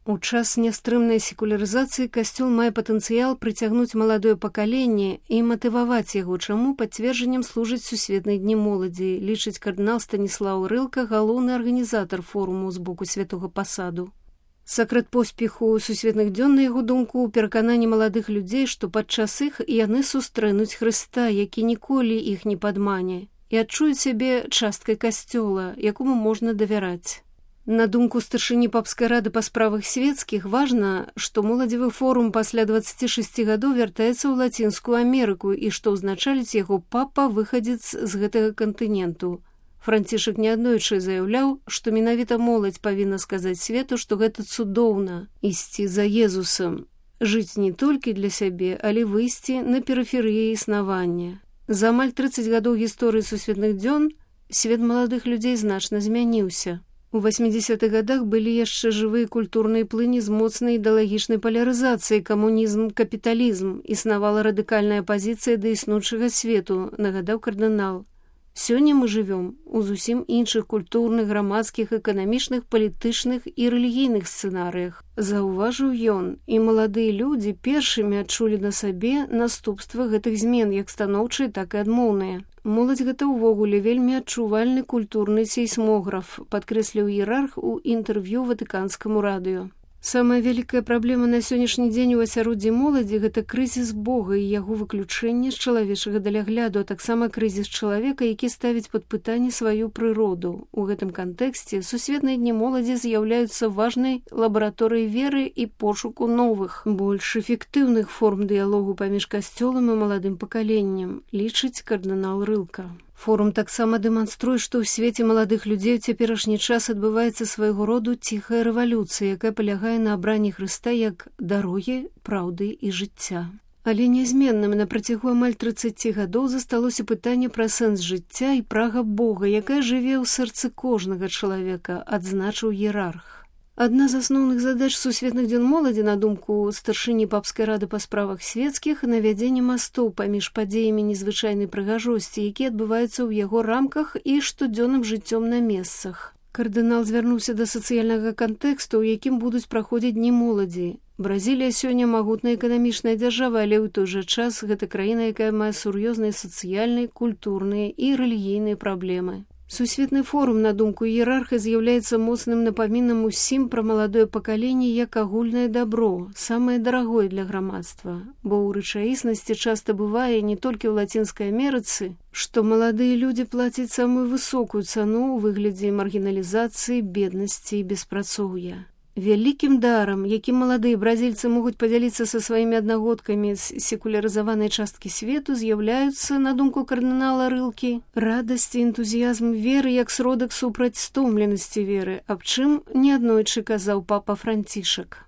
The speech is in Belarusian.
У час нястрымнай секулярызацыі касцёл мае патэнцыял прыцягнуць маладое пакаленне і матываваць яго, чаму пацверджаннем служаць сусветныя дні моладзі, лічыць кардынал Станіслаў Рылка, галоўны арганізатар форуму з боку святога пасаду. Сакрэт поспеху сусветных дзён, на яго думку, у перакананні маладых людзей, што падчас іх яны сустрэнуць Хрыста, які ніколі іх не падмане, і адчуюць сябе часткай касцёла, якому можна давяраць. На думку старшыні папскай рады па справах свецкіх, важна, што моладзевы форум пасля 26 гадоў вяртаецца ў Лацінскую Амерыку і што ўзначаліць яго папа выхадзец з гэтага кантыненту. Францішак неаднойчы заяўляў, што менавіта моладзь павінна сказаць свету, што гэта цудоўна – ісці за Езусам, жыць не толькі для сябе, але выйсці на перыферыі існавання. За амаль 30 гадоў гісторыі сусветных дзён свет маладых людзей значна змяніўся. У 80-х гадах былі яшчэ жывыя культурныя плыні з моцнай ідэалагічнай палярызацыяй, камунізм, капіталізм, існавала радыкальная пазіцыя да існуючага свету, нагадаў кардынал. Сёння мы жывём у зусім іншых культурных, грамадскіх, эканамічных, палітычных і рэлігійных сцэнарыях. Заўважыў ён, і маладыя людзі першымі адчулі на сабе наступствы гэтых змен, як станоўчыя, так і адмоўныя. Моладзь гэта ўвогуле вельмі адчувальны культурны сейсмограф, падкрэсліў іерарх у інтэрв'ю ватыканскаму радыё. Самая вялікая праблема на сённяшні дзень у асяроддзі моладзі – гэта крызіс Бога і яго выключэнне з чалавечага далягляду, а таксама крызіс чалавека, які ставіць пад пытанне сваю прыроду. У гэтым кантэксце сусветныя дні моладзі з'яўляюцца важнай лабараторыяй веры і пошуку новых, больш эфектыўных форм дыялогу паміж касцёлам і маладым пакаленнем, лічыць кардынал Рылка. Форум таксама дэманструе, што ў свеце маладых людзей у цяперашні час адбываецца свайго роду ціхая рэвалюцыя, якая палягае на абранні Хрыста як дарогі, праўды і жыцця. Але нязменным на працягу амаль 30 гадоў засталося пытанне пра сэнс жыцця і прага Бога, якая жыве ў сэрцы кожнага чалавека, адзначыў іерарх. Адна з асноўных задач сусветных дзён моладзі, на думку старшыні папскай рады па справах свецкіх, навядзенне мастоў паміж падзеямі незвычайнай прыгажосці, якія адбываюцца ў яго рамках і штодзённым жыццём на месцах. Кардынал звярнуўся да сацыяльнага кантэксту, у якім будуць праходзіць дні моладзі. Бразілія сёння магутная эканамічная дзяржава, але ў той жа час гэта краіна, якая мае сур'ёзныя сацыяльныя, культурныя і рэлігійныя праблемы. Сусветны форум, на думку іерарха, з'яўляецца моцным напамінам усім пра маладое пакаленне як агульнае дабро, самае дарагое для грамадства, бо ў рэчаіснасці часта бывае не толькі ў Лацінскай Амерыцы, што маладыя людзі плацяць самую высокую цану ў выглядзе маргіналізацыі, беднасці і беспрацоўя. Вялікім дарам, якім маладыя бразільцы могуць падзяліцца са сваімі аднагодкамі з секулярызаванай часткі свету, з'яўляюцца, на думку кардынала Рылкі, радасць і энтузіязм веры як сродак супраць стомленасці веры, аб чым неаднойчы казаў папа Францішак.